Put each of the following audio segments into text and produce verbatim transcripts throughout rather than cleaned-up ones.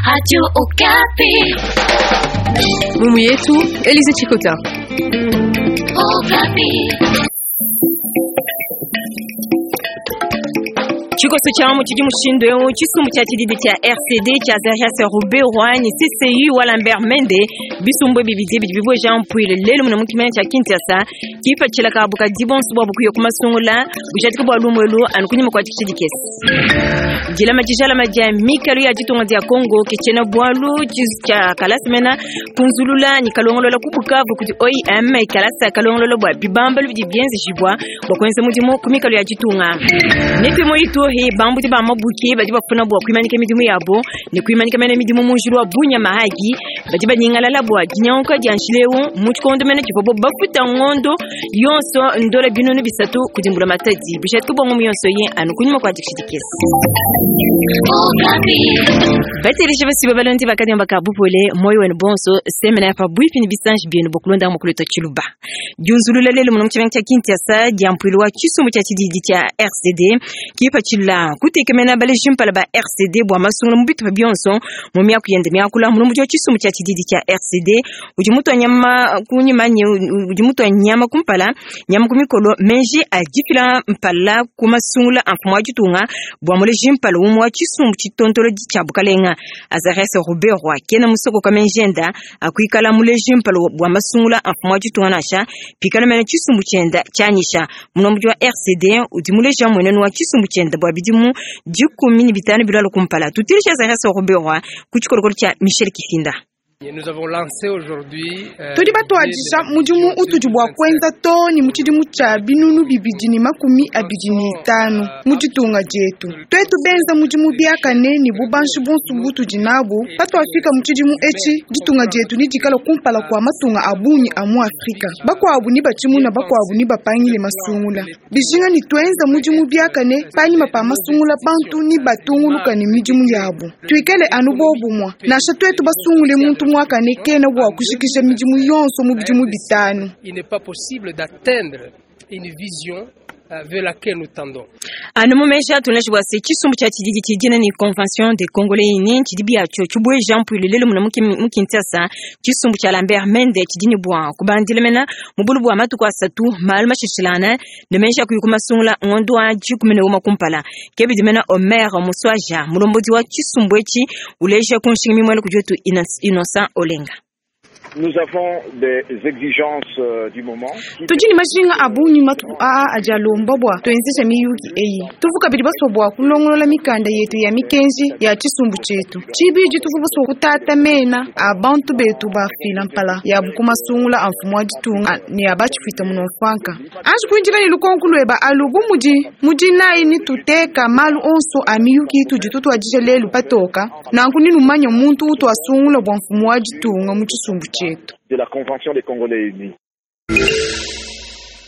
Radio Okapi. Mumu yetu Elise Chikota. Okapi. Tshikoso tshia mu tshidi mushindu eu tshisumbu tshia tshididi tshia R C D tshia Azarias Ruberwa ne C C U wa Lambert Mende, bisumbu ebi bidi bidi bibueja mpuile lelu muna mu kimenya tshia Kinshasa, kipatshila kabu kadi bonso bua bukuya ku masungula bujadika bua lumu elu anu kunyima kua tshidi kesi dilama dijalama dia mikalu ya ditunga dia Congo ke tshiena bualu tshia kalasa mena kunzulula ni kalongolola ku Bukavu kudi O I M, kalasa kalongolola bua bibambalu bidi bienzejibua bua kuenza mudimu ku mikalu ya ditunga. Netu Ituri, bambudi ba mabuki badi bafuna bua kuimanika midimu yabo ne kuimanika mena midimu mu njila wa Bunya Mahagi, badi banyingalala bua dinyanguka dia njila eu mu tshikondo mena tshivuabo bafuta ngondo yonso ndola binunu bisatu kudi mbula matadi. Bijadika bua ngumu yonso ye anu kunyima kua dikishidikesi. Okapi. Batelisha basiba balondi bakadiamba ka bupole moyo wenu bonso semena pa bwipi ni bisanji bienu bokulonda mukuleta chiluba. Diunzulula lelo muno muchivenga cha Kinshasa dia mpuilu wa tshisumbu tshia tshididi tshia R C D kipatshila kutekemena baleji mpala ba R C D bua masungula mu bitupa bionso mu miaku yende miakula. Mulomboji wa tshisumbu tshia tshididi tshia R C D udi mutua nyama kunyima nye udi mutua nyama kumpala nyama ku mikolo menji adifila mpala ku masungula a mfumu wa ditunga bua muleji mpala umue wa tshisumbu tshitontolodi tshia bukalenga Azarias Ruberwa kena musoko kamenjenda akuikala muleji mpala bua masungula a mfumu wa ditunga nansha pikala mene tshisumbu tshienda tshianyisha. Mulomboji wa R C D udi muleja mwenenu wa tshisumbu tshienda bua bidimu dikumi ne bitanu bilwala kumpala. Tutilisha Azarias Ruberwa ku tshikolokolo tshia Michel Kifinda. Nous avons lancé aujourd'hui euh, Tudi batuadija mudimu utudi bua kuenza too ne mu tshidimu tshia binunu bibidi ne makumi abidi ne itanu mu ditunga dietu. Tuetu benza mudimu biakane ne bubanji bonso butudi nabu, patuafika mu tshidimu etshi, ditunga dietu nidikala kumpala kua matunga a bungi a mu Afrika. Bakuabu ni batshimuna, bakuabu ni bapangile masungula. Bijinga ni tuenza mudimu biakane panyima pa masungula, bantu ni batunguluka ne midimu yabu. Tuikale anu bobumwa, nansha tuetu basungule muntu muakane, kena bua kushikisha midimu yonso mu bidimu bitanu. Il n'est pas possible d'atteindre une vision euh, vers laquelle nous tendons. Anu mumesha tunashi bwase tshisumbu tshia tshididi tshidina ni Convention des Congolais unis tshidi biatshio tshibueja mpuilu lelo muna mu Kinshasa. Tshisumbu tshia Lambert Mende tshidini bua kubandila mena mubulu bua matuku asatu malu mashishilana ne mesha kuyi kumasungula ngondo wa dikumi ne uma kumpala. Kebidi mena Omer Muswaja, mulombodi wa tshisumbu etshi, uleja kunshinga mimwele kudi wetu Innocent Olenga. Nous avons des exigences euh, du moment. Tudi ne majinga a bungi matuku aa adi alomba bua tuenzesha miyuki eyi. Tuvu kabidi basua bua kulongolola mikanda yetu ya mikenji ya tshisumbu tshietu. Tshibidi, tuvu basua kutata mena a bantu betu bafila mpala yabu ku masungula a mfumu wa ditunga ne a batshifita munomfanka. Anji kuindila ne lukonko lueba alu, bu mudi mudinayi ni tuteka malu onso a miyuki itudi tutuadija lelu patoka, nanku ninumanya muntu utu asungula bua mfumu wa ditunga mu tshisumbu tshietu. De la Convention des Congolais unis.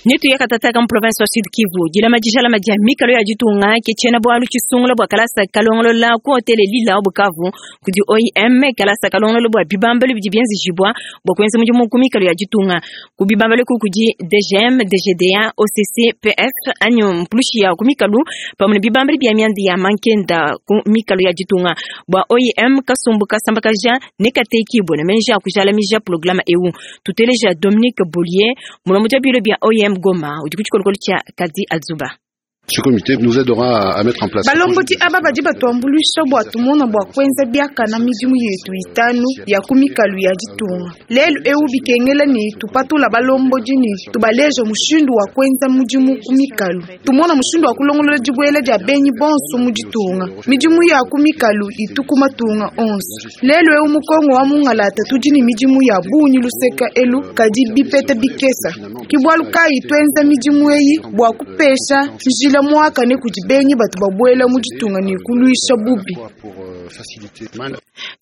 Netu yakatataka mu province wa Sud Kivu, dilama dijalama dia mikalo ya ditunga ke tshiena bualu tshisungula bua kalasa kalongolola ku hotele Lila wa Bukavu kudi O I M, kalasa kalongolola bua bibambalu bidi bienzejibua bua kuenza mudimu ku mikalo ya ditunga. Ku bibambalu ku kudi D G M, D G D A, O C C, P F anyi mpulushi ya ku mikalu pamue ne bibambalu bia mianda ya mankenda ku mikalo ya ditunga. Bua O I M, kasumbu kasambakaja ne katekibue ne menji a kujalamija programa eu. Tuteleja Dominique Bollier, mulombodi wa biro bia O I M Goma, udi ku tshikolokolo tshia Kadi Azuba. Ce comité nous aidera à mettre en place. Balombodi aba badi batuambuluisha bua tumona bua kuenza biakana midimu yetu itanu ya ku mikalu ya ditunga. Lelu eu bikengela ne tupatula balombodi ne tubaleja mushindu wa kuenza mudimu ku mikalu, tumona mushindu wa kulongolola dibuela dia benyi bonso mu ditunga. Midimu ya ku mikalu itu ku matunga onso. Lelu eu mu Kongo wa mungalata tudi ne midimu ya bungi luseka elu, kadi bipeta bikesa. Ke bualu kayi tuenza midimu eyi bua kupesha njila muakane kudi benyi batu babuela mu ditunga ne kuluisha bubi.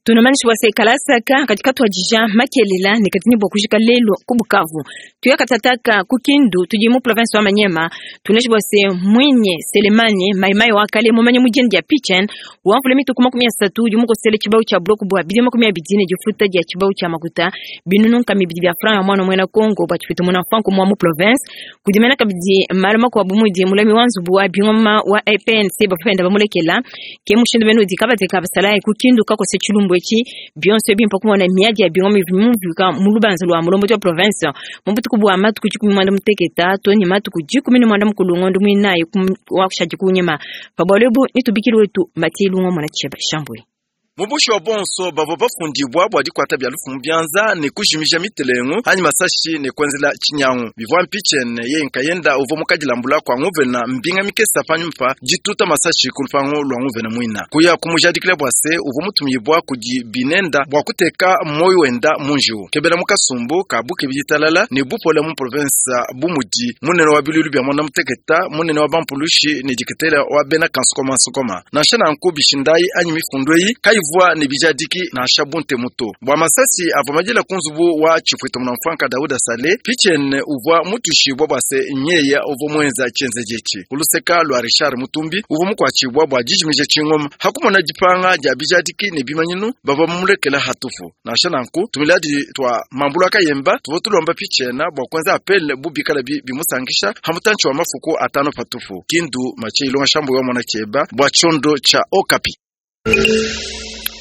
Tunamanishi wase kalasaka katika twajija makelela ne katini bua kujika lelo ku Bukavu. Tuyakatataka ku Kindu, tudi mu province wa Manyema. Tunashi bwase Mwinye Selemani Maimai wa kale mumanye mujeni dia Pichen wamvula mituku makumi asatu udi mukosele tshibau tshia bloku bua bidi makumi abidi ne difuta dia tshibau tshia makuta binunu nkama ibidi bia franc ya mwana mwena Kongo bua tshifita muna franc mwa mu province. Kudimena kabidi malu makuabu mudi mulami wa nzubu wa bingoma wa E P N C bafenda bamulekela ke mushindu benu udi kabateka basalayi ku Kindu kakose tshilumbu. tshisumbu etshi bionso ebi mpa kumona miadi ya bingoma ivua mumvuika mu lubanza lua mulombodi wa province mu butuku bua matuku dikumi muanda muteketa to ne matuku dikumi ne muanda mukulu ngondo muinayi wa kushadi kunyima pa bualu ebu nitubikile wetu Matie Lungo mwana Cheba Shambwe. Mubushi wa bonso bavua bafundibwa bua dikwata bya lufu mu byanza ne kujimija mitelengu anyi masashi ne kwenzela tshinyangu bivua mpichene ye nkayenda uvua mukadilambula kwa nguvena mbinga mikesa panyuma dituta masashi ku lupangu lwa nguvena mwina kuya kumujadikila bua se uvua mutumibwa kudi binenda bua kuteka moyo wenda munjiwu kebela mukasumbu ka buke biditalala ne bupola mu province bumudi munene wa bilulu bya mwanda muteketa munene wa bampulushi ne diketela wa bena kansukoma nsukoma nansha nanku bishindai anyi mifundu eyi kayivua ne bijadiki nansha bunte muto bua masasi avua madila ku nzubu wa tshipwita munamfanka Dauda Sale pichene uvua mutushibwa bua se nyeya uvua muenza tshienzeji etshi kuluseka lua Richard Mutumbi uvua mukuatshibwa bua dijimija tshingoma hakumona dipanga dia bijadiki ne bimanyinu bavua mumulekela hatufu nansha nanku tumiladi twa mambulu akayemba tuvua tulomba pichena bua kuenza apele bubikala bi bimusangisha hamutantshi wa mafuku atano patufu Kindu Mache Ilonga Shambu wa mwana Cheba bua chondo cha Okapi.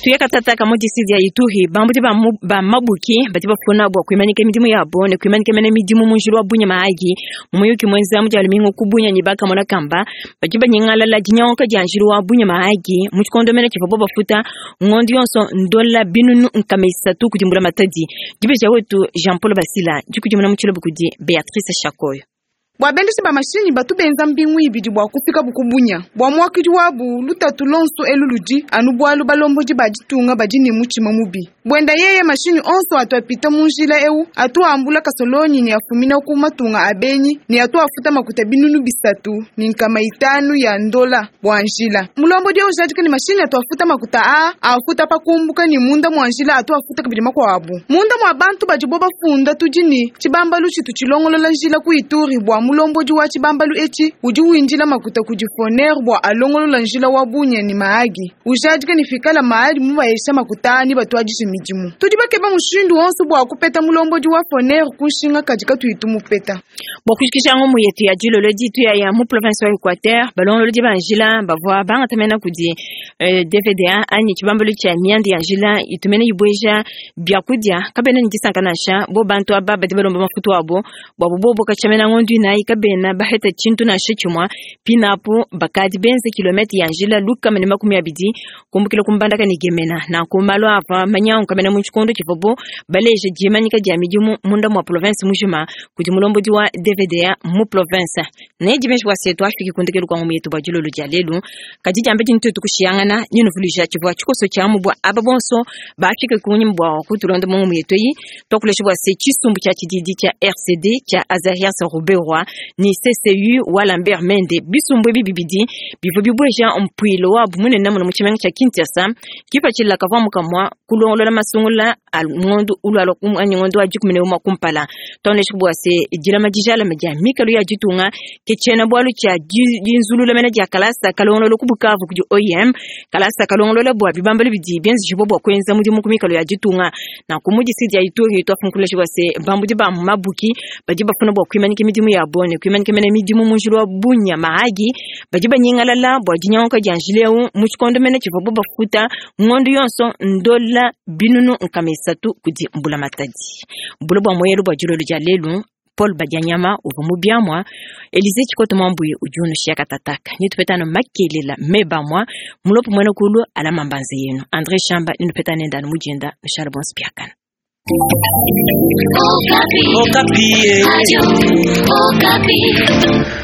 Tuyakatataka mu district ya Ituri bambudi ba ba mabuki bati bafuna bwa kwimanyika midimu yabo ne kwimanyika mene midimu mu njulu wa bunya maagi muyuki mwenza mu jalumingo kubunya nyibaka mona kamba bati banyingala dinyanka dia njulu wa bunya maagi mu chikondo mene chivobo bafuta ngondi yonso ndola binunu nkamesa tu kudimbula matadi dibeja wetu Jean Paul Basila dikudimuna mu chilobo kudi Beatrice Shakoyo. Bua bendesi ba mashinyi batu benza mbingu ibidi bua kufika bukubunya bua muakidi wabu lutatu lonso eluludi anu bualu balombodi ba ditunga badi ne mutshima mubi bwenda yeye mashinyi onso atu apita mu njila eu atu ambula kasolonyi ne afumina ku matunga abenyi ne atu afuta makuta binunu bisatu ni nkama itanu ya ndola bua njila mulombodi eu jadika ne mashinyi atu afuta makuta a afuta pakumbuka ni munda mua njila atu afuta kabidi makuabu munda mua bantu badi bo bafunda tudi ni tshibambalu tshitu tshilongolola njila ku Ituri bua mulombodi wa tshibambalu etshi udi windila makuta kudi foner bua alongolola njila wa bunya ni maagi ujadika ni fikala maali mubayesha makuta ani batuadije midimu tudi bakeba mushindu wonso bua kupeta mulombodi wa foner kunshinga kadi katuyitu mupeta. Bua kushikisha ngomu yetu ya dilolo ditu ya ya mu province wa Equateur balongolodi ba njila bavua bangatamena kudi eh, D V D A anyi tshibambalu tshia miandi ya njila itumene ibweja byakudia kabena ni disanka nansha bo bantu aba badi balomba mafutu abo bua bobo kachamena ngondu inayi kabena baheta tshintu nansha tshimua pinapo bakadi benze kilomètre ya njila lukama ne makumi abidi kumbukila kumbandaka ni gemena na kumalo ava manyangu kamena mu tshikondo tshivobo baleje dimanyika dia midimu munda mua province mujima kudi mulombodi wa D V D A mu province ne dimeshi wa setu afiki kundekelu kwa ngomu yetu bua dilolo dia lelu kadi diambe dintu tukushiyangana nyinuvuluja tshivua tshikoso tshia mu bua aba bonso bafike kunyima bua kutulonda mu ngomu yetu eyi twakulesha bua se tshisumbu tshia tshididi tshia R C D tshia Azarias Ruberwa ni C C U wa Lambert Mende bisumbu ebi bibidi bivua bibweja mpwilo wabu munene muno mu tshimenga tshia Kinshasa kipatshila kavua mukamua kulongolola masungula a ngondo ulwalo anyi ngondo wa dikumi ne umua kumpala twaonesha bua se dilama dijalama dia mikalo ya ditunga ke tshiena bualu tshia dinzulula mena dia kalasa kalongolola ku Bukavu kudi O I M kalasa kalongolola bua bibambalu bidi bienzejibua bua kuenza mudimu ku mikalo ya ditunga na ku mu district ya Ituri twafunkulesha bua se bambudi ba mabuki badi bafuna bua kuimanyika midimu yabo ne kuimanyika mene midimu mu njulu wa bunya mahagi badi banyingalala bua dinyanguka dia njila eu mu tshikondo mene tshivua bo bafuta ngondo yonso ndola binunu nkama isatu kudi mbula matadi mbula bua moyelu bua dilolo dia lelu Paul Badianyama uvua mubiamua Elize Tshikoto Mwambuyi udi unushiya katataka nitupetana makelela mebamua mulopo mwene kulu alama mbanze yenu André Shamba ninupetana nendani mujenda Michel Bonspiakana. Okapi. Okapi. Radio Okapi.